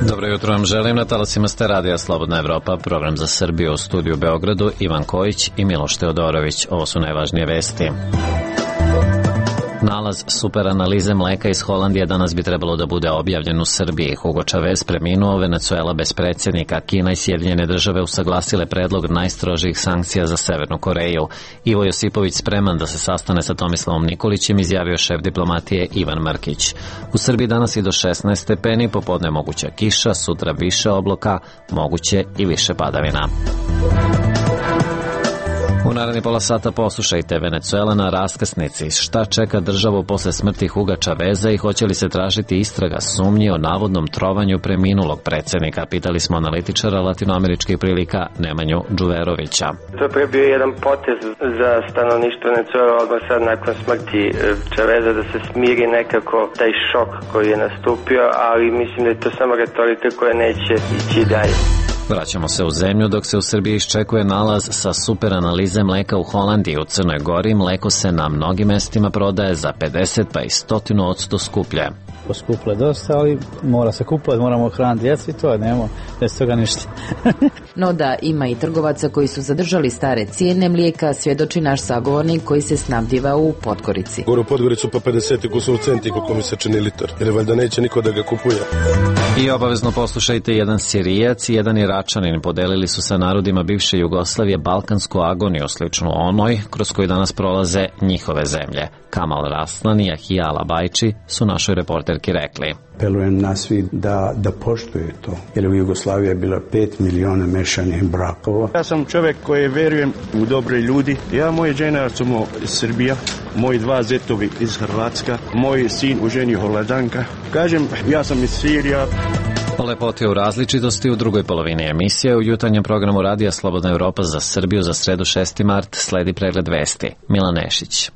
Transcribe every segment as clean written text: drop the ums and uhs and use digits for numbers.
Dobro jutro vam želim, na talasima ste Radija Slobodna Evropa, program za Srbiju, u studiju u Beogradu, Ivan Kojić i Miloš Teodorović. Ovo su najvažnije vesti. Nalaz superanalize mleka iz Holandije danas bi trebalo da bude objavljen u Srbiji. Hugo Chavez preminuo, Venecuela bez predsjednika, Kina i Sjedinjene države usaglasile predlog najstrožijih sankcija za Severnu Koreju. Ivo Josipović spreman da se sastane sa Tomislavom Nikolićem, izjavio šef diplomatije Ivan Mrkić. U Srbiji danas i do 16 stepeni, popodne moguća kiša, sutra više obloka, moguće i više padavina. U naredni pola sata poslušajte Venecuela na raskrsnici. Šta čeka državu posle smrti Huga Chaveza i hoće li se tražiti istraga sumnji o navodnom trovanju preminulog predsjednika? Pitali smo analitičara latinoameričkih prilika Nemanju Đuverovića. To je bio jedan potez za stanovništvo Venecuela odmah sad nakon smrti Chaveza da se smiri nekako taj šok koji je nastupio, ali mislim da je to samo retorika koja neće ići dalje. Vraćamo se u zemlju dok se u Srbiji iščekuje nalaz sa superanalize mleka u Holandiji. U Crnoj Gori mleko se na mnogim mestima prodaje za 50 pa i 100% skuplje. Poskuple dosta, ali mora se kupati, moramo hraniti djecu i to, nema bez toga ništa. No da ima i trgovaca koji su zadržali stare cijene mlijeka, svjedoči naš sagovornik koji se snabdjiva u Podgorici. Gore u Podgoricu pa 50 kusur centi koliko mi se čini litar, jer valjda neće niko da ga kupuje. I obavezno poslušajte, jedan Sirijac i jedan Iračanin podelili su sa narodima bivše Jugoslavije balkansku agoniju, sličnu onoj kroz koju danas prolaze njihove zemlje. Kamal Raslan i Ahijala Bajči su našoj reporterki rekli. Apelujem na svi da poštuje to, jer u Jugoslaviji je bilo 5 miliona mešanih brakova. Ja sam čovjek koji verujem u dobre ljudi. Ja, moje žena smo iz Srbija, moji dva zetovi iz Hrvatska, moj sin u ženi Holandanka. Kažem, ja sam iz Sirija. O lepoti u različitosti u drugoj polovini emisije u jutarnjem programu Radija Slobodna Evropa za Srbiju za sredu 6. mart sledi pregled vesti. Milan Nešić.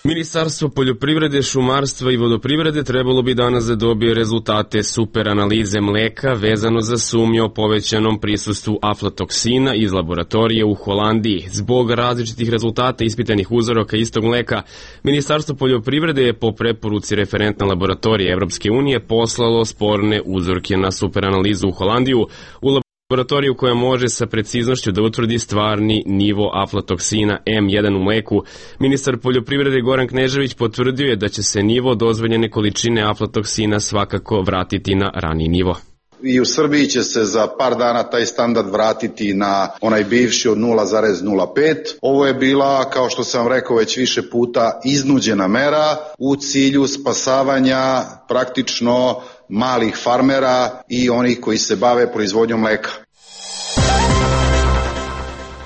Ministarstvo poljoprivrede, šumarstva i vodoprivrede trebalo bi danas da dobije rezultate superanalize mleka vezano za sumnju o povećanom prisustvu aflatoksina iz laboratorije u Holandiji. Zbog različitih rezultata ispitanih uzoraka istog mleka, Ministarstvo poljoprivrede je po preporuci referentne laboratorije Evropske unije poslalo sporne uzorke na superanalizu u Holandiju, u laboratoriju koja može sa preciznošću da utvrdi stvarni nivo aflatoksina M1 u mleku. Ministar poljoprivrede Goran Knežević potvrdio je da će se nivo dozvoljene količine aflatoksina svakako vratiti na raniji nivo. I u Srbiji će se za par dana taj standard vratiti na onaj bivši od 0,05. Ovo je bila, kao što sam rekao već više puta, iznuđena mera u cilju spasavanja praktično malih farmera i onih koji se bave proizvodnjom mleka.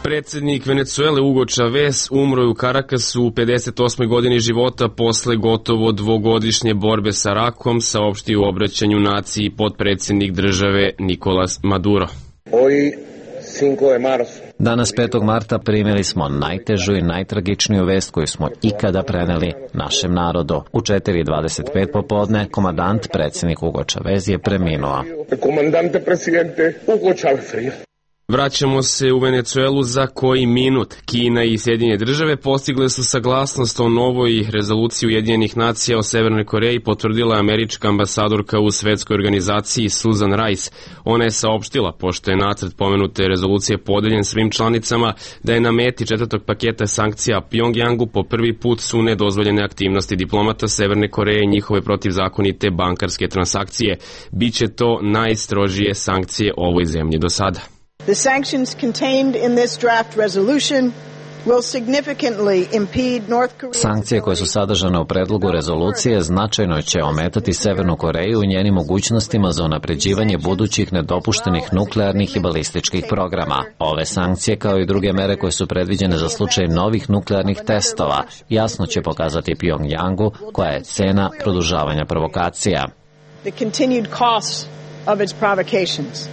Predsjednik Venecuele Hugo Chavez umro je u Karakasu u 58. godini života posle gotovo dvogodišnje borbe sa rakom, saopštio u obraćanju naciji potpredsjednik države Nicolás Maduro. Danas 5. marta primili smo najtežu i najtragičniju vest koju smo ikada preneli našem narodu. U 4:25 popodne komandant predsjednik Hugo Chavez je preminuo. Vraćamo se u Venecuelu za koji minut. Kina i Sjedinjene države postigle su saglasnost o novoj rezoluciji Ujedinjenih nacija o Severnoj Koreji, potvrdila je američka ambasadorka u svetskoj organizaciji Susan Rice. Ona je saopštila, pošto je nacrt pomenute rezolucije podeljen svim članicama, da je na meti 4. paketa sankcija Pjongjangu po prvi put su nedozvoljene aktivnosti diplomata Severne Koreje i njihove protivzakonite bankarske transakcije. Biće to najstrožije sankcije ovoj zemlji do sada. The sanctions contained in this draft resolution will significantly impede North Korea. Sankcije koje su sadržane u predlogu rezolucije značajno će ometati Severnu Koreju u njenim mogućnostima za unapređivanje budućih nedopuštenih nuklearnih i balističkih programa. Ove sankcije, kao i druge mere koje su predviđene za slučaj novih nuklearnih testova, jasno će pokazati Pjongjangu koja je cena produžavanja provokacija. The continued costs of its provocations.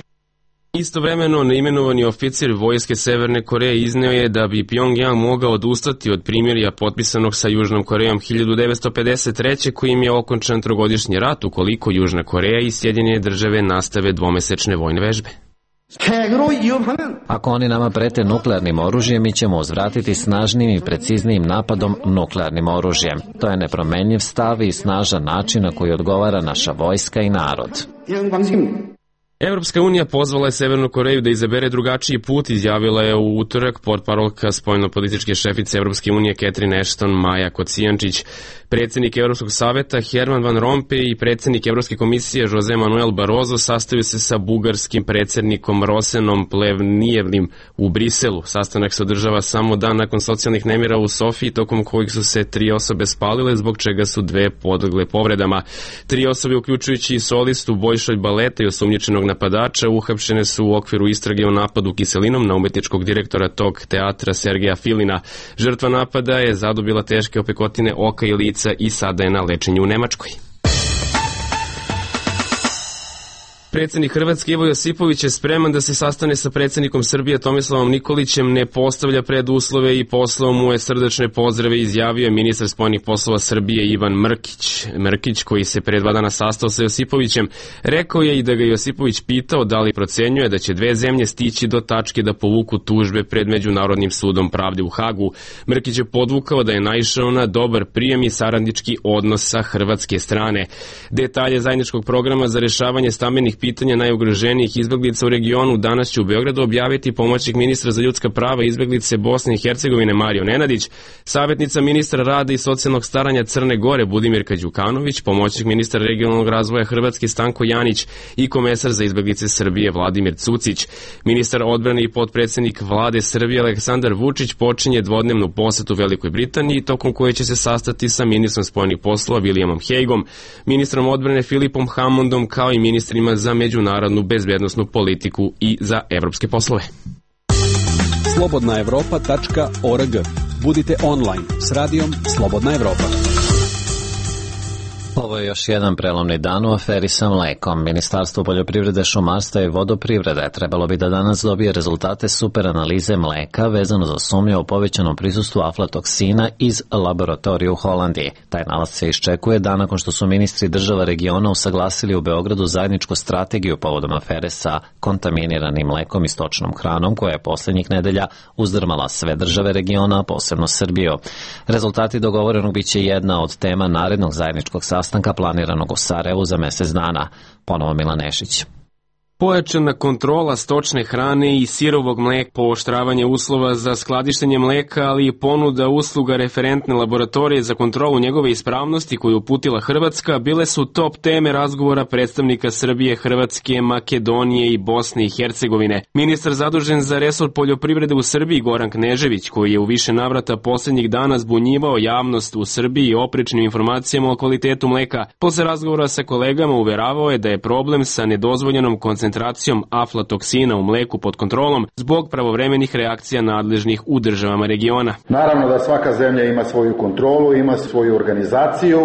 Istovremeno, neimenovani oficir vojske Severne Koreje izneo je da bi Pjongjang mogao odustati od primirja potpisanog sa Južnom Korejom 1953. kojim je okončan trogodišnji rat ukoliko Južna Koreja i Sjedinjene države nastave dvomesečne vojne vežbe. Ako oni nama prete nuklearnim oružjem, mi ćemo uzvratiti snažnim i preciznijim napadom nuklearnim oružjem. To je nepromenljiv stav i snažan način na koji odgovara naša vojska i narod. Evropska unija pozvala je Severnu Koreju da izabere drugačiji put, izjavila je u utorak portparolka spoljnopolitičke šefice Evropske unije Catherine Ashton Maja Kocijančić. Predsjednik Evropskog saveta Herman Van Rompuy i predsjednik Evropske komisije José Manuel Barroso sastaju se sa bugarskim predsjednikom Rosenom Plevnijevnim u Briselu. Sastanak se održava samo dan nakon socijalnih nemira u Sofiji, tokom kojih su se 3 osobe spalile, zbog čega su 2 podlegle povredama. 3 osobe, uključujući i solistu, bojšolj baleta i osumnjičenog napadača, uhapšene su u okviru istrage o napadu kiselinom na umetničkog direktora tog teatra Sergeja Filina. Žrtva napada je zadobila teške opekotine oka i lica i sada je na lečenju u Nemačkoj. Predsjednik Hrvatske Ivo Josipović je spreman da se sastane sa predsjednikom Srbije Tomislavom Nikolićem, ne postavlja preduslove i poslao mu je srdačne pozdrave, izjavio je ministar spoljnih poslova Srbije Ivan Mrkić. Mrkić, koji se pre 2 dana sastao sa Josipovićem, rekao je i da ga Josipović pitao da li procenjuje da će 2 zemlje stići do tačke da povuku tužbe pred Međunarodnim sudom pravde u Hagu. Mrkić je podvukao da je naišao na dobar prijem i saradnički odnos sa hrvatske strane. Detalje zajedničkog programa za rešavanje stambenih pitanja najugroženijih izbeglica u regionu danas će u Beogradu objaviti pomoćnik ministra za ljudska prava i izbeglice Bosne i Hercegovine Marijo Nenadić, savjetnica ministra rada i socijalnog staranja Crne Gore Budimirka Đukanović, pomoćnik ministra regionalnog razvoja Hrvatske Stanko Janić i komesar za izbeglice Srbije Vladimir Cucić. Ministar odbrane i potpredsjednik vlade Srbije Aleksandar Vučić počinje dvodnevnu posetu Velikoj Britaniji, tokom koje će se sastati sa ministrom spoljnih poslova Williamom Hagueom, ministrom odbrane Filipom Hammondom, kao i ministrima za međunarodnu bezbednosnu politiku i za evropske poslove. Slobodnaevropa.org. Budite online s radijom Slobodna Evropa. Ovo je još jedan prelomni dan u aferi sa mlekom. Ministarstvo poljoprivrede, šumarstva i vodoprivrede trebalo bi da danas dobije rezultate superanalize mleka vezano za sumnje o povećanom prisustvu aflatoksina iz laboratorije u Holandiji. Taj nalaz se iščekuje dan nakon što su ministri država regiona usaglasili u Beogradu zajedničku strategiju povodom afere sa kontaminiranim mlekom i stočnom hranom, koja je poslednjih nedelja uzdrmala sve države regiona, a posebno Srbiju. Rezultati dogovorenog biće jedna od tema narednog zajedničkog sastanka planiranog u Sarajevu za mesec dana. Ponovo Milan Nešić. Pojačana kontrola stočne hrane i sirovog mleka, pooštravanje uslova za skladištenje mleka, ali i ponuda usluga referentne laboratorije za kontrolu njegove ispravnosti koju uputila Hrvatska, bile su top teme razgovora predstavnika Srbije, Hrvatske, Makedonije i Bosne i Hercegovine. Ministar zadužen za resor poljoprivrede u Srbiji Goran Knežević, koji je u više navrata posljednjih dana zbunjivao javnost u Srbiji oprečnim informacijama o kvalitetu mleka, posle razgovora sa kolegama uveravao je da je problem sa nedozvoljenom koncentracijom aflatoksina u mleku pod kontrolom zbog pravovremenih reakcija nadležnih u državama regiona. Naravno da svaka zemlja ima svoju kontrolu, ima svoju organizaciju,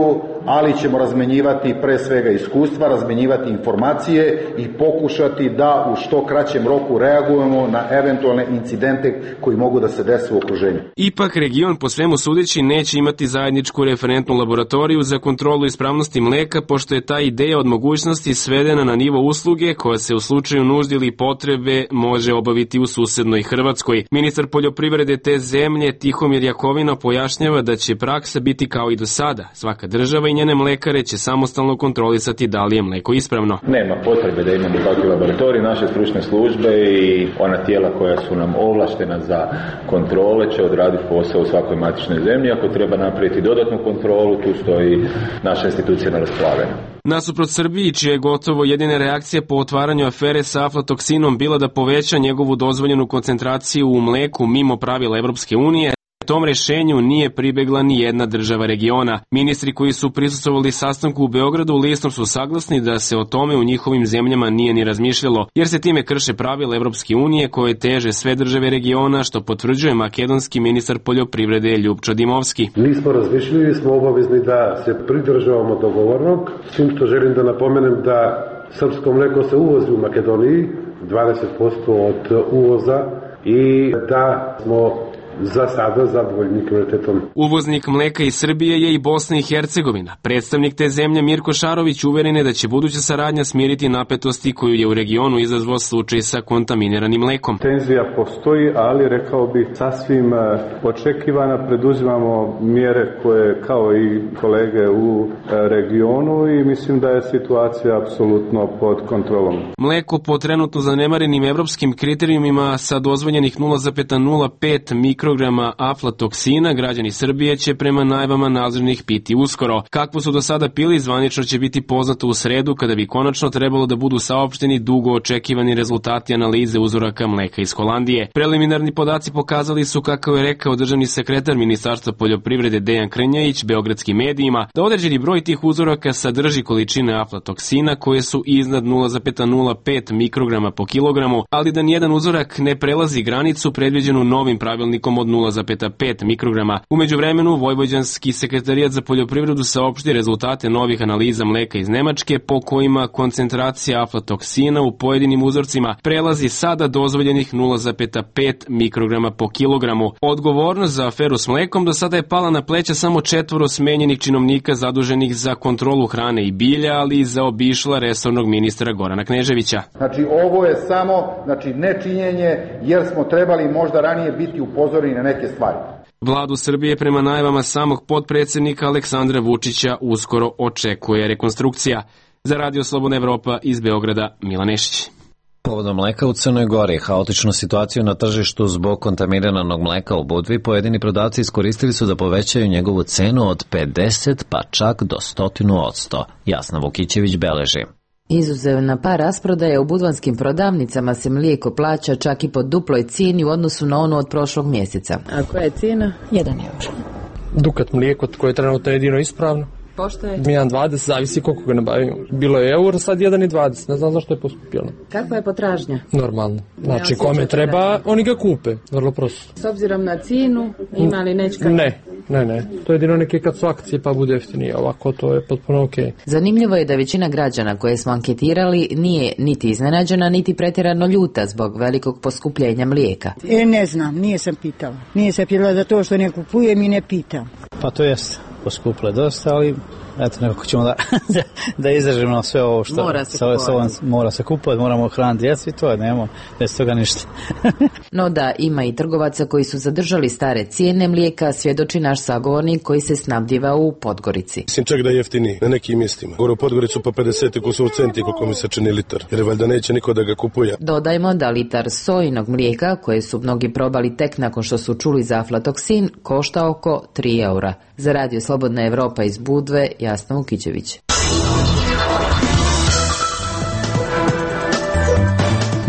ali ćemo razmenjivati pre svega iskustva, razmenjivati informacije i pokušati da u što kraćem roku reagujemo na eventualne incidente koji mogu da se dese u okruženju. Ipak region po svemu sudeći neće imati zajedničku referentnu laboratoriju za kontrolu ispravnosti mleka, pošto je ta ideja od mogućnosti svedena na nivo usluge koja se u slučaju nužde ili potrebe može obaviti u susednoj Hrvatskoj. Ministar poljoprivrede te zemlje Tihomir Jakovina pojašnjava da će praksa biti kao i do sada. Svaka država i njene mlekare će samostalno kontrolisati da li je mleko ispravno. Nema potrebe da imamo takve laboratorije. Naše stručne službe i ona tijela koja su nam ovlaštena za kontrole će odraditi posao u svakoj matičnoj zemlji. Ako treba napraviti dodatnu kontrolu, tu stoji naša institucija na raspolaganju. Nasuprot Srbiji, čija je gotovo jedina reakcija po otvaranju afere sa aflatoksinom bila da poveća njegovu dozvoljenu koncentraciju u mleku mimo pravila Evropske unije, tom rešenju nije pribegla ni jedna država regiona. Ministri koji su prisustvovali sastanku u Beogradu listom su saglasni da se o tome u njihovim zemljama nije ni razmišljalo, jer se time krše pravila Evropske unije koje teže sve države regiona, što potvrđuje makedonski ministar poljoprivrede Ljupčo Dimovski. Nismo razmišljali, smo obavezni da se pridržavamo dogovornog, s tim što želim da napomenem da srpsko mleko se uvozi u Makedoniji, 20% od uvoza, i da smo za sada zadovoljni kvalitetom. Uvoznik mleka iz Srbije je i Bosna i Hercegovina. Predstavnik te zemlje Mirko Šarović uveren je da će buduća saradnja smiriti napetosti koju je u regionu izazvao slučaj sa kontaminiranim mlekom. Tenzija postoji, ali rekao bih sasvim očekivana. Preduzimamo mjere koje kao i kolege u regionu i mislim da je situacija apsolutno pod kontrolom. Mleko po trenutno zanemarenim evropskim kriterijumima sa dozvoljenih 0,05 mikrograma aflatoksina građani Srbije će prema najavama nadležnih piti uskoro. Kakvo su do sada pili, zvanično će biti poznato u sredu kada bi konačno trebalo da budu saopšteni dugo očekivani rezultati analize uzoraka mleka iz Holandije. Preliminarni podaci pokazali su, kako je rekao državni sekretar Ministarstva poljoprivrede Dejan Krnjajić beogradskim medijima, da određeni broj tih uzoraka sadrži količine aflatoksina koje su iznad 0,05 mikrograma po kilogramu, ali da nijedan uzorak ne prelazi granicu predviđenu novim pravilnikom od 0,5 mikrograma. U međuvremenu, Vojvođanski sekretarijat za poljoprivredu saopšti rezultate novih analiza mleka iz Nemačke po kojima koncentracija aflatoksina u pojedinim uzorcima prelazi sada dozvoljenih 0,5 mikrograma po kilogramu. Odgovornost za aferu s mlekom do sada je pala na pleća samo 4 smenjenih činovnika zaduženih za kontrolu hrane i bilja, ali i zaobišla resornog ministra Gorana Kneževića. Znači ovo je samo nečinjenje jer smo trebali možda ranije biti upozoreni na neke stvari. Vladu Srbije prema najavama samog potpredsjednika Aleksandra Vučića uskoro očekuje rekonstrukcija. Za Radio Slobodna Evropa iz Beograda, Milan Nešić. Povodom mleka u Crnoj Gori i haotičnu situaciju na tržištu zbog kontaminiranog mleka u Budvi, pojedini prodavci iskoristili su da povećaju njegovu cenu od 50 pa čak do 100%. Jasna Vukićević beleži. Izuzev na par rasprodaje u budvanskim prodavnicama se mlijeko plaća čak i po duploj cijeni u odnosu na onu od prošlog mjeseca. A koja je cijena? 1 euro. Dukat mlijeko koje je trenutno jedino ispravno. Pošto je? 1,20, zavisi koliko ga nabavimo. Bilo je euro, sad 1,20, ne znam zašto je poskupilo. Kakva je potražnja? Normalno. Znači, kome treba, oni ga kupe, vrlo prosto. S obzirom na cijenu, ima li nečka? Ne. To je jedino neke kad su akcije pa bude jeftinije, ovako to je potpuno okej. Zanimljivo je da većina građana koje smo anketirali nije niti iznenađena, niti pretjerano ljuta zbog velikog poskupljenja mlijeka. Ne znam, nije sam pitala. Nije se pitala za to što ne kupujem i ne pitam. Pa to jest poskupile dosta, ali eto, nekako ćemo da izdržimo sve ovo što mora se kupovati, moramo hraniti djecu i to je, nemamo bez toga ništa. No da, ima i trgovaca koji su zadržali stare cijene mlijeka, svjedoči naš sagovornik koji se snabdjiva u Podgorici. Mislim čak da je jeftiniji na nekim mjestima. Gore u Podgoricu po 50 kusur centi koliko mi se čini litar, jer valjda neće niko da ga kupuje. Dodajmo da litar sojinog mlijeka, koje su mnogi probali tek nakon što su čuli za aflatoksin, košta oko 3 eura. Za Radio Slobodna Evropa iz Budve, Jasna Vukićević.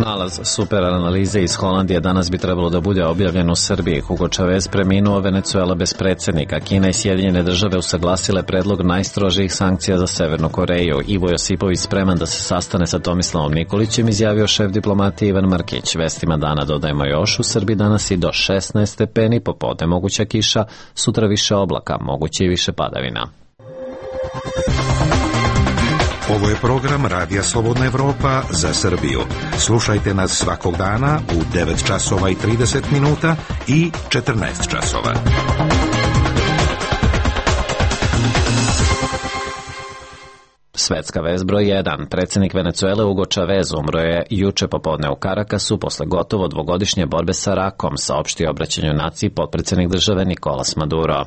Nalaz super analize iz Holandije danas bi trebalo da bude objavljen u Srbiji. Hugo Chavez preminuo, Venecuela bez predsjednika. Kina i Sjedinjene države usaglasile predlog najstrožijih sankcija za Severnu Koreju. Ivo Josipović spreman da se sastane sa Tomislavom Nikolićem, izjavio šef diplomatije Ivan Mrkić. Vestima dana dodajemo još, u Srbiji danas i do 16 stepeni, popodne moguća kiša, sutra više oblaka, moguće i više padavina. Ovo je program Radija Slobodna Evropa za Srbiju. Slušajte nas svakog dana u 9 časova i 30 minuta i 14 časova. Svetska vest broj 1. Predsjednik Venecuele Hugo Chavez umro je juče popodne u Karakasu posle gotovo dvogodišnje borbe sa rakom, saopštio obraćanju naciji potpredsjednik države Nicolas Maduro.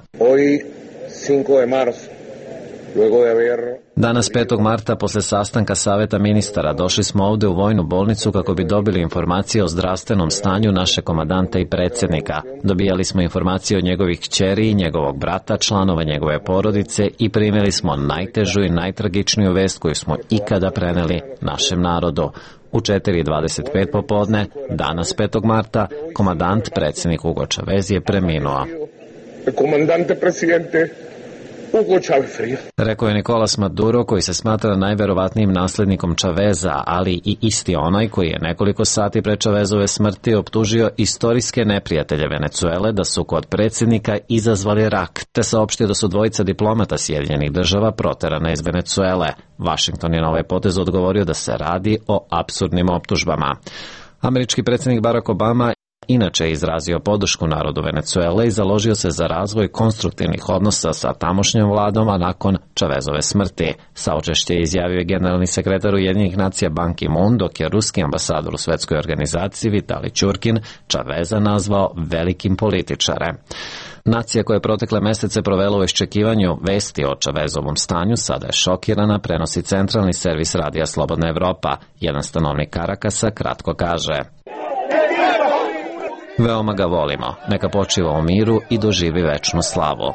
Danas 5. marta posle sastanka Saveta ministara došli smo ovde u vojnu bolnicu kako bi dobili informacije o zdravstvenom stanju naše komadanta i predsjednika. Dobijali smo informacije od njegovih kćeri i njegovog brata, članova njegove porodice i primili smo najtežu i najtragičniju vest koju smo ikada preneli našem narodu. U 4:25 popodne, danas 5. marta, komadant predsjednik Hugo Chavez je preminuo. Komandante presidente Hugo Chavez. Rekao je Nicolas Maduro, koji se smatra najverovatnijim naslednikom Chaveza, ali i isti onaj koji je nekoliko sati pre Chavezove smrti optužio istorijske neprijatelje Venecuele da su kod predsjednika izazvali rak, te saopštio da su dvojica diplomata Sjedinjenih država proterana iz Venecuele. Washington je na ovaj potez odgovorio da se radi o apsurdnim optužbama. Američki predsjednik Barack Obama Inače je izrazio podršku narodu Venecuele i založio se za razvoj konstruktivnih odnosa sa tamošnjom vladom, a nakon Chavezove smrti. Saučešće je izjavio generalni sekretar Ujedinjenih nacija Ban Ki-moon, dok je ruski ambasador u svetskoj organizaciji Vitali Ćurkin Chaveza nazvao velikim političarem. Nacija koja je protekle mesece provela u iščekivanju vesti o Chavezovom stanju sada je šokirana, prenosi centralni servis radija Slobodna Evropa. Jedan stanovnik Karakasa kratko kaže: veoma ga volimo, neka počiva u miru i doživi večnu slavu.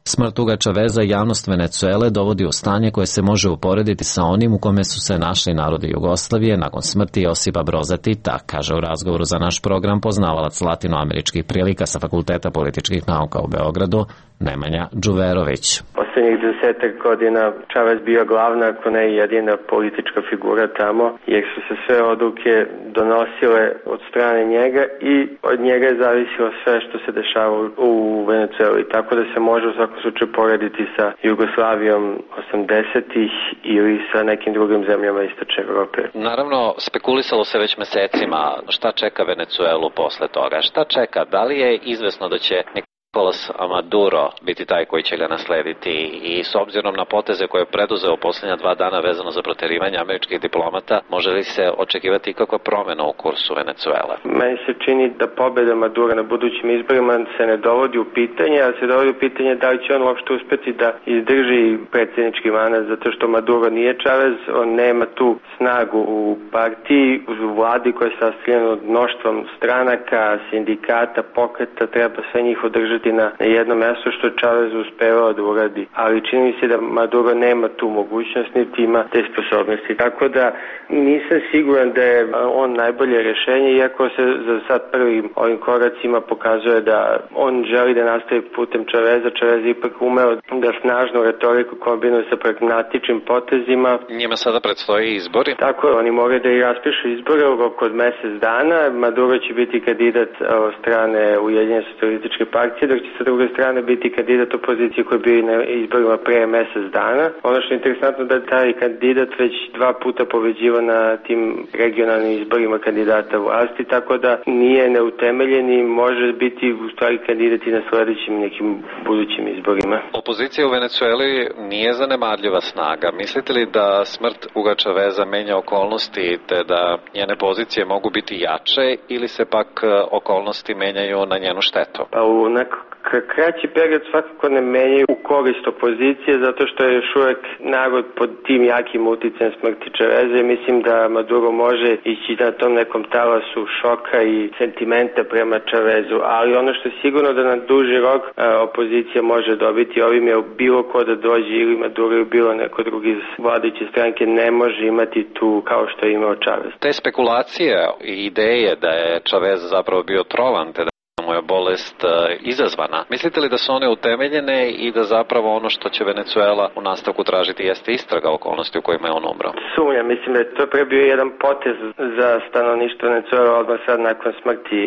Smrt Huga Chaveza javnost Venecuele dovodi u stanje koje se može uporediti sa onim u kome su se našli narodi Jugoslavije nakon smrti Josipa Broza Tita, kaže u razgovoru za naš program poznavalac latinoameričkih prilika sa Fakulteta političkih nauka u Beogradu, Nemanja Đuverović. Poslednjih 10 godina Chavez bio glavna, ako ne jedina politička figura tamo, jer su se sve odluke donosile od strane njega i od njega je zavisilo sve što se dešava u Venecueli, tako da se može u svakom slučaju porediti sa Jugoslavijom 80-ih ili sa nekim drugim zemljama istočne Evrope. Naravno, spekulisalo se već mesecima šta čeka Venecuelu posle toga. Šta čeka? Da li je izvesno da će Nicolas Maduro biti taj koji će ga naslediti i s obzirom na poteze koje je preduzeo posljednja 2 dana vezano za proterivanje američkih diplomata, može li se očekivati kakva promjena u kursu Venecuele? Meni se čini da pobjeda Madura na budućim izborima se ne dovodi u pitanje, a se dovodi u pitanje da li će on uopšte uspeti da izdrži predsjednički mandat, zato što Maduro nije Chavez, on nema tu snagu u partiji, u vladi koja je sastavljena od mnoštvom stranaka, sindikata, pokreta, treba sve njih održati na jednom mjestu, što je Chavez uspevao da uradi. Ali čini mi se da Maduro nema tu mogućnost, niti ima te sposobnosti. Tako da nisam siguran da je on najbolje rješenje, iako se za sad prvim ovim koracima pokazuje da on želi da nastavi putem Chaveza. Chavez ipak umeo da snažnu retoriku kombinuje sa pragmatičnim potezima. Njima sada predstoji izbori. Tako je, oni moraju da i raspišu izbore u roku od mjesec dana. Maduro će biti kandidat od strane Ujedinjene socijalističke partije, dok će sa druge strane biti kandidat opozicije koji je bio na izborima pre mjesec dana. Ono što je interesantno da taj kandidat već 2 puta pobeđiva na tim regionalnim izborima kandidata vlasti, tako da nije neutemeljen i može biti u stvari kandidat i na sledećim nekim budućim izborima. Opozicija u Venecueli nije zanemarljiva snaga. Mislite li da smrt Huga Chaveza menja okolnosti te da njene pozicije mogu biti jače ili se pak okolnosti menjaju na njenu štetu? Pa u kraći period svakako ne menjaju u korist opozicije, zato što je još uvek narod pod tim jakim uticajem smrti Chaveza i mislim da Maduro može ići na tom nekom talasu šoka i sentimenta prema Chavezu, ali ono što je sigurno da na duži rok opozicija može dobiti ovim je bilo ko da dođe ili Maduro ili bilo neko drugi iz vladajuće stranke ne može imati tu kao što je imao Chavez. Te spekulacije i ideje da je Chavez zapravo bio trovan, te da mu je bolest izazvana. Mislite li da su one utemeljene i da zapravo ono što će Venecuela u nastavku tražiti jeste istraga okolnosti u kojima je on umro? Sumnjam, mislim da je to pre bio jedan potez za stanovništvo Venecuela odmah sad nakon smrti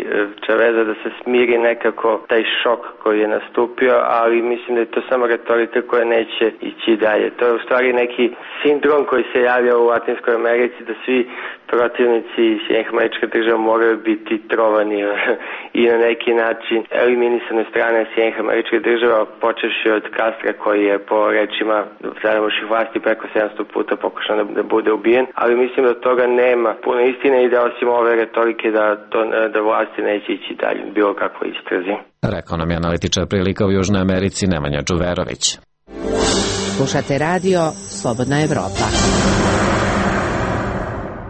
Chaveza da se smiri nekako taj šok koji je nastupio, ali mislim da je to samo retorika koja neće ići dalje. To je u stvari neki sindrom koji se javlja u Latinskoj Americi da svi protivnici Sjedinjenih Američkih Država moraju biti trovani i na neki način eliminisane strane Sjedinjenih Američkih Država, počevši od Castra koji je po rečima zadamoših vlasti preko 700 puta pokušao da bude ubijen, ali mislim da toga nema puno istine i da osim ove retorike da vlasti neće ići dalje, bilo kako istrazi. Rekao nam je analitičar prilika u Južnoj Americi Nemanja Đuverović. Slušate radio Slobodna Evropa.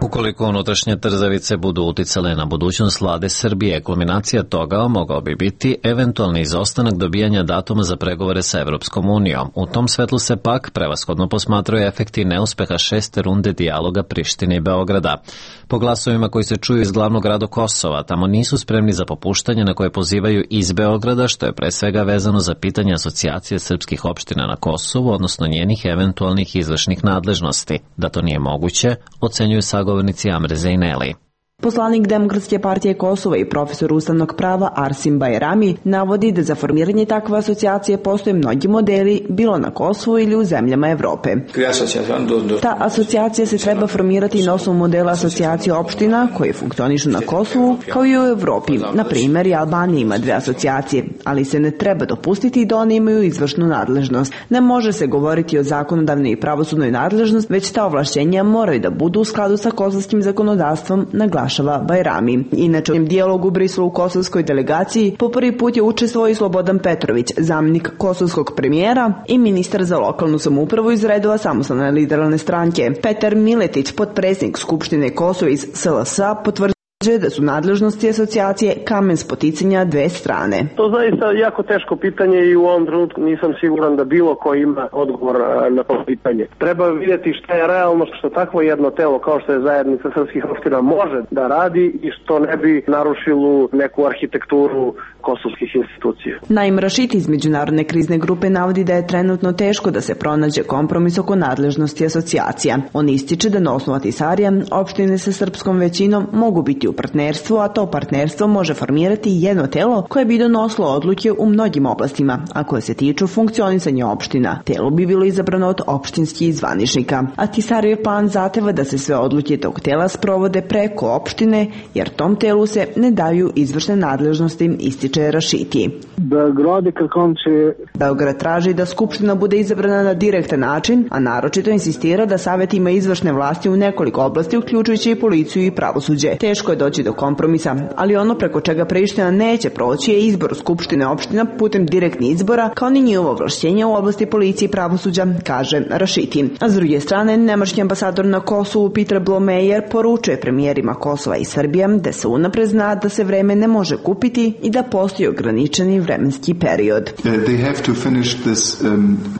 Ukoliko unutrašnje trzavice budu uticale na budućnost vlade Srbije, kulminacija toga mogao bi biti eventualni izostanak dobijanja datuma za pregovore sa Evropskom unijom. U tom svetlu se pak prevashodno posmatraju efekti neuspeha 6. runde dijaloga Prištine i Beograda. Po glasovima koji se čuju iz glavnog grada Kosova, tamo nisu spremni za popuštanje na koje pozivaju iz Beograda, što je pre svega vezano za pitanje asocijacije srpskih opština na Kosovu, odnosno njenih eventualnih izvršnih nadležnosti. Da to nije moguće, ocenjuju sagovornici Amre Zejneli. Poslanik Demokratske partije Kosova i profesor ustavnog prava Arsim Bajrami navodi da za formiranje takve asocijacije postoje mnogi modeli, bilo na Kosovu ili u zemljama Evrope. Ta asocijacija se treba formirati na osnovu modela asocijacije opština koje funkcionišu na Kosovu, kao i u Evropi. Na primjer, i Albanija ima 2 asocijacije, ali se ne treba dopustiti da one imaju izvršnu nadležnost. Ne može se govoriti o zakonodavnoj i pravosudnoj nadležnosti, već ta ovlašćenja moraju da budu u skladu sa kosovskim zakonodavstvom, naglašava Bajrami. Inače, u dijalogu u Briselu u kosovskoj delegaciji po prvi put je učestvovao i Slobodan Petrović, zamjenik kosovskog premijera i ministar za lokalnu samoupravu iz redova Samostalne liberalne stranke. Petar Miletić, potpredsjednik Skupštine Kosova iz SLS-a, potvrđuje da su nadležnosti asocijacije kamen spoticanja 2 strane. To zaista jako teško pitanje i u ovom trenutku nisam siguran da bilo ko ima odgovor na to pitanje. Treba vidjeti šta je realno, što takvo jedno telo kao što je zajednica srpskih opština može da radi i što ne bi narušilo neku arhitekturu kosovskih institucija. Naim Rašiti iz Međunarodne krizne grupe navodi da je trenutno teško da se pronađe kompromis oko nadležnosti asocijacija. On ističe da na osnovu Ahtisarija opštine sa srpskom većinom mogu biti u partnerstvu, a to partnerstvo može formirati jedno telo koje bi donosilo odluke u mnogim oblastima, a koje se tiču funkcionisanja opština. Telo bi bilo izabrano od opštinskih zvaničnika. Ahtisarijev plan zahteva da se sve odluke tog tela sprovode preko opštine, jer tom telu se ne daju izvršne nadležnosti, ističe Rašiti. Beograd traži da Skupština bude izabrana na direktan način, a naročito insistira da Savet ima izvršne vlasti u nekoliko oblasti, uključujući i policiju i pravosuđe. Teško je doći do kompromisa, ali ono preko čega Priština neće proći je izbor Skupštine opština putem direktnih izbora, kao ni njihovo ovlašćenje u oblasti policije i pravosuđa, kaže Rašiti. A s druge strane, nemački ambasador na Kosovu Peter Blomeyer poručuje premijerima Kosova i Srbije da se unapred zna da se vreme ne može kupiti i da postoji ograničeni vremenski period.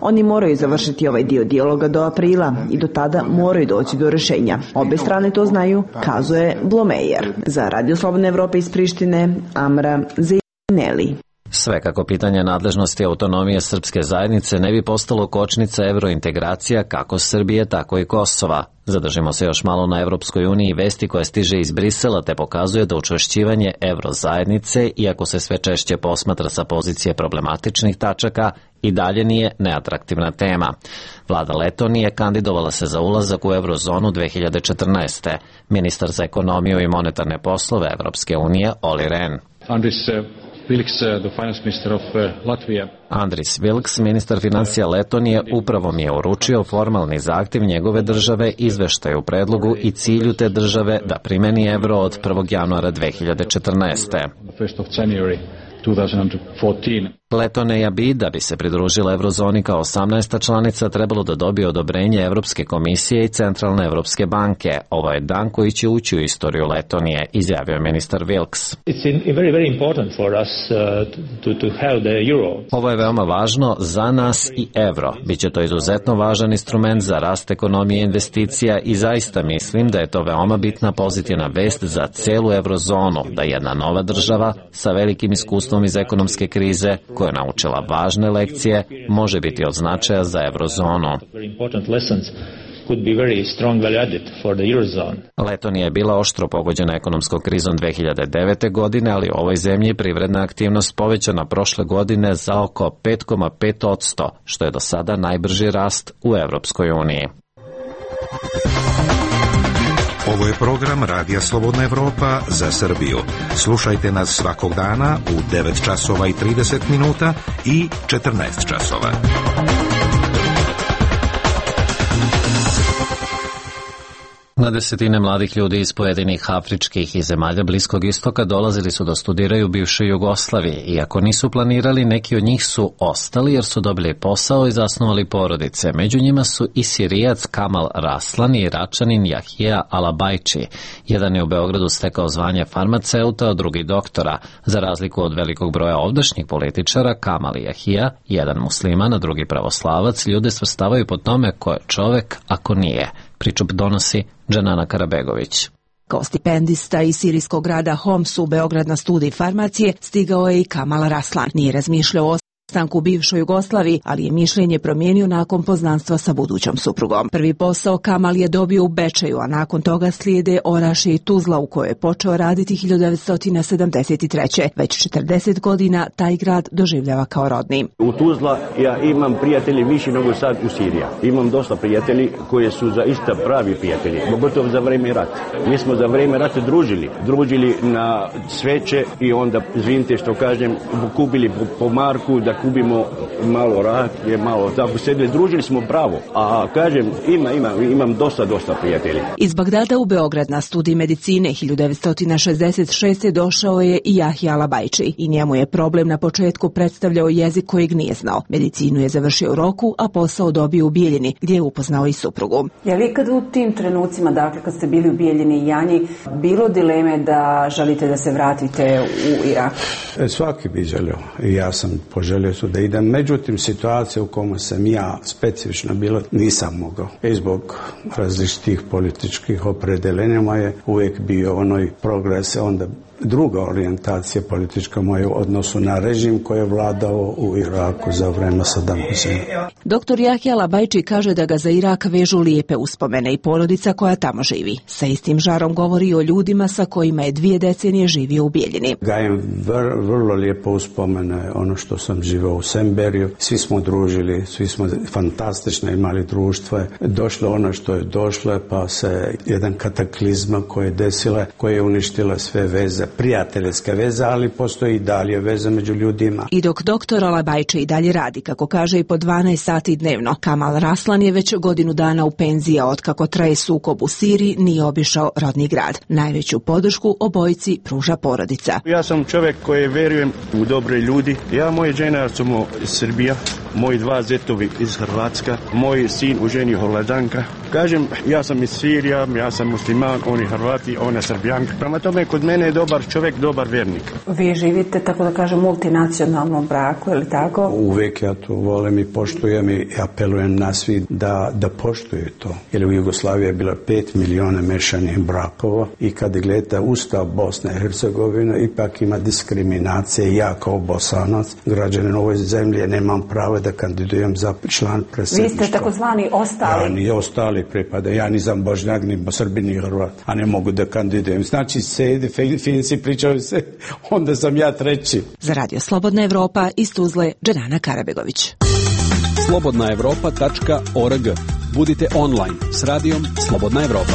Oni moraju završiti ovaj dio dijaloga do aprila i do tada moraju doći do rešenja. Obe strane to znaju, kazuje Blomeyer. Za Radio Slobodne Evrope iz Prištine, Amra Zejneli. Sve kako pitanje nadležnosti autonomije srpske zajednice ne bi postalo kočnica evrointegracija kako Srbije, tako i Kosova. Zadržimo se još malo na Evropskoj uniji i vesti koja stiže iz Brisela te pokazuje da učvršćivanje evrozajednice, iako se sve češće posmatra sa pozicije problematičnih tačaka, i dalje nije neatraktivna tema. Vlada Letonije kandidovala se za ulazak u eurozonu 2014. Ministar za ekonomiju i monetarne poslove Evropske unije Olli Rehn. Andris Vilks, ministar financija Letonije, upravo mi je uručio formalni zahtjev njegove države, izveštaj u predlogu i cilju te države da primeni evro od 1. januara 2014. Letonija bi, da bi se pridružila eurozoni kao 18. članica, trebalo da dobije odobrenje Evropske komisije i Centralne Evropske banke. Ovo je dan koji će ući u istoriju Letonije, izjavio ministar Vilks. Ovo je veoma važno za nas i evro. Biće to izuzetno važan instrument za rast ekonomije i investicija i zaista mislim da je to veoma bitna pozitivna vest za celu eurozonu, da jedna nova država sa velikim iskustvom iz ekonomske krize, koja je naučila važne lekcije, može biti od značaja za eurozonu. Letonija je bila oštro pogođena ekonomskom krizom 2009. godine, ali u ovoj zemlji je privredna aktivnost povećana prošle godine za oko 5,5%, što je do sada najbrži rast u Evropskoj uniji. Ovo je program Radija Slobodna Evropa za Srbiju. Slušajte nas svakog dana u 9 časova i 30 minuta i 14 časova. Na desetine mladih ljudi iz pojedinih afričkih i zemalja Bliskog istoka dolazili su da studiraju u bivšoj Jugoslaviji. Iako nisu planirali, neki od njih su ostali jer su dobili posao i zasnovali porodice. Među njima su i Sirijac Kamal Raslan i Iračanin Jahija Alabajči. Jedan je u Beogradu stekao zvanje farmaceuta, a drugi doktora. Za razliku od velikog broja ovdašnjih političara, Kamal i Jahija, jedan musliman, a drugi pravoslavac, ljude svrstavaju po tome ko je čovek ako nije. Priču donosi Džanana Karabegović. Kao stipendista iz sirijskog grada Homs u Beograd na studij farmacije stigao je i Kamal Raslan. Nije razmišljao o stanku u bivšoj Jugoslaviji, ali je mišljenje promijenio nakon poznanstva sa budućom suprugom. Prvi posao Kamal je dobio u Bečeju, a nakon toga slijede Orašje i Tuzla u kojoj je počeo raditi 1973. Već 40 godina taj grad doživljava kao rodni. U Tuzla ja imam prijatelji više nego sad u Siriji. Imam dosta prijatelji koji su zaista pravi prijatelji, pogotovo za vrijeme rata. Mi smo za vrijeme rata družili na sveće i onda, izvinite što kažem, kupili po marku da kupimo malo rakije, malo tako sedli, družili smo pravo. A kažem, imam dosta prijatelja. Iz Bagdada u Beograd na studij medicine 1966. došao je i Jahja Alabajči i njemu je problem na početku predstavljao jezik kojeg nije znao. Medicinu je završio u Roku, a posao dobio u Bijeljini, gdje je upoznao i suprugu. Je li kad u tim trenucima, dakle kad ste bili u Bijeljini i Janji, bilo dileme da želite da se vratite u Irak? Svaki bi želio. Ja sam poželio da idem. Međutim, situacija u kojoj sam ja specifično bilo nisam mogao. I zbog različitih političkih opredeljenja je uvijek bio onoj progres, onda druga orijentacija politička moja u odnosu na režim koji je vladao u Iraku za vreme Sadama Huseina. Doktor Jahja Alabajči kaže da ga za Irak vežu lijepe uspomene i porodica koja tamo živi. Sa istim žarom govori o ljudima sa kojima je 2 decenije živio u Bijeljini. Gajem vrlo lijepo uspomene ono što sam živio u Semberiju. Svi smo družili, svi smo fantastično imali društvo. Došlo ono što je došlo, pa se jedan kataklizma koja je desila, koja je uništila sve veze, prijateljske veze, ali postoji i dalje veze među ljudima. I dok doktor Alabajči i dalje radi, kako kaže, i po 12 sati dnevno, Kamal Raslan je već godinu dana u penziji, a otkako traje sukob u Siriji nije obišao rodni grad. Najveću podršku obojici pruža porodica. Ja sam čovjek koji verujem u dobre ljudi. Ja, moje žena smo iz Srbija, moji 2 zetovi iz Hrvatska, moj sin u ženi Holandanka. Kažem, ja sam iz Sirija, ja sam musliman, oni Hrvati, ona Srbijanka. Prema tome, kod mene je dobar čovjek, dobar vjernik. Vi živite, tako da kažem, multinacionalnom braku, je li tako? Uvijek ja to volim i poštujem i apelujem na svi da poštuju to. Jer u Jugoslaviji je bilo 5 milijuna mešanih brakova i kad gledate Ustav Bosne i Hercegovine, ipak ima diskriminacije. Ja kao Bosanac, građanin ovoj zemlji, nemam pravo da kandidujem za član predsjedništva. Vi ste takozvani ostali. Ja ni ostali pripada. Ja nisam Bošnjak, ni Srbin, ni Hrvat, a ne mogu da kandidujem. Znači, Finci pričaju se, onda sam ja treći. Za Radio Slobodna Evropa iz Tuzle, Dženana Karabegović. slobodnaevropa.org. Budite online s radijom Slobodna Evropa.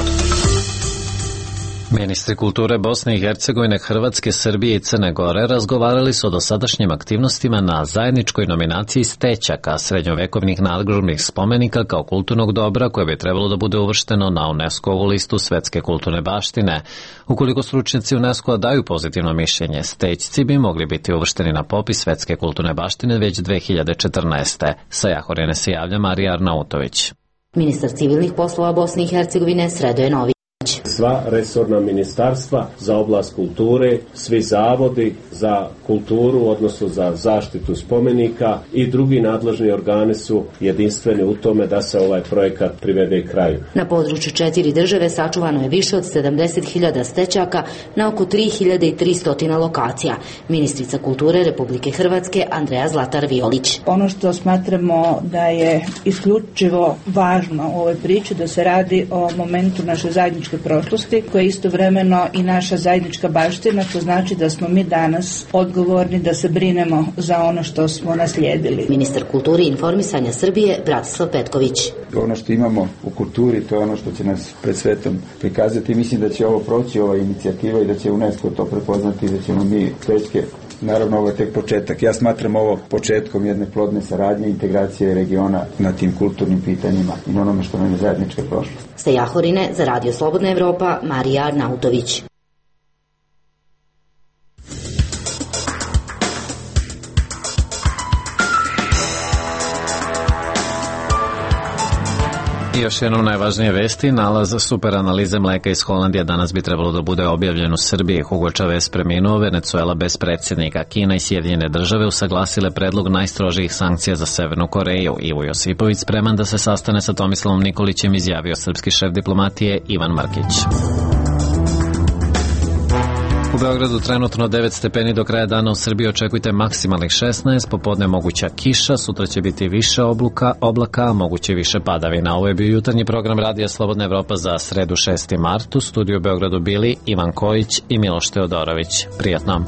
Ministri kulture Bosne i Hercegovine, Hrvatske, Srbije i Crne Gore razgovarali su o dosadašnjim aktivnostima na zajedničkoj nominaciji Stećaka, srednjovekovnih nadgrobnih spomenika kao kulturnog dobra koje bi trebalo da bude uvršteno na UNESCO-ovu listu svetske kulturne baštine. Ukoliko stručnjaci UNESCO-a daju pozitivno mišljenje, Stećci bi mogli biti uvršteni na popis svetske kulturne baštine već 2014. Sa Jahorine se javlja Marija Arnautović. Ministar civilnih poslova Bosne i Hercegovine Sredoje Nović. Sva resorna ministarstva za oblast kulture, svi zavodi za kulturu, odnosno za zaštitu spomenika i drugi nadležni organi su jedinstveni u tome da se ovaj projekat privede kraju. Na području 4 države sačuvano je više od 70.000 stećaka na oko 3.300 lokacija. Ministrica kulture Republike Hrvatske Andreja Zlatar Violić. Ono što smatramo da je isključivo važno u ovoj priči, da se radi o momentu naše zajedničke prošlosti, koja je istovremeno i naša zajednička baština, to znači da smo mi danas odgovorni da se brinemo za ono što smo naslijedili. Ministar kulture i informisanja Srbije Bratislav Petković. Ono što imamo u kulturi, to je ono što će nas pred svetom prikazati. Mislim da će ovo proći, ova inicijativa, i da će UNESCO to prepoznati i da ćemo mi Stećke. Naravno, ovo je tek početak. Ja smatram ovo početkom jedne plodne saradnje, integracije regiona na tim kulturnim pitanjima i na onome što nam je zajednička prošlost. Sa Jahorine za Radio Slobodna Evropa, Marija Arnautović. I još jednom najvažnije vesti, nalaz superanalize mleka iz Holandije danas bi trebalo da bude objavljen u Srbiji. Hugo Chavez preminuo, Venecuela bez predsjednika, Kina i Sjedinjene države usaglasile predlog najstrožijih sankcija za Severnu Koreju. Ivo Josipović spreman da se sastane sa Tomislavom Nikolićem, izjavio srpski šef diplomatije Ivan Markić. U Beogradu trenutno 9 stepeni, do kraja dana u Srbiji očekujte maksimalnih 16, popodne moguća kiša, sutra će biti više oblaka, a moguće više padavina. Ovo je bio jutarnji program Radija Slobodna Evropa za sredu 6. mart. U studiju u Beogradu bili Ivan Kojić i Miloš Teodorović. Prijatno.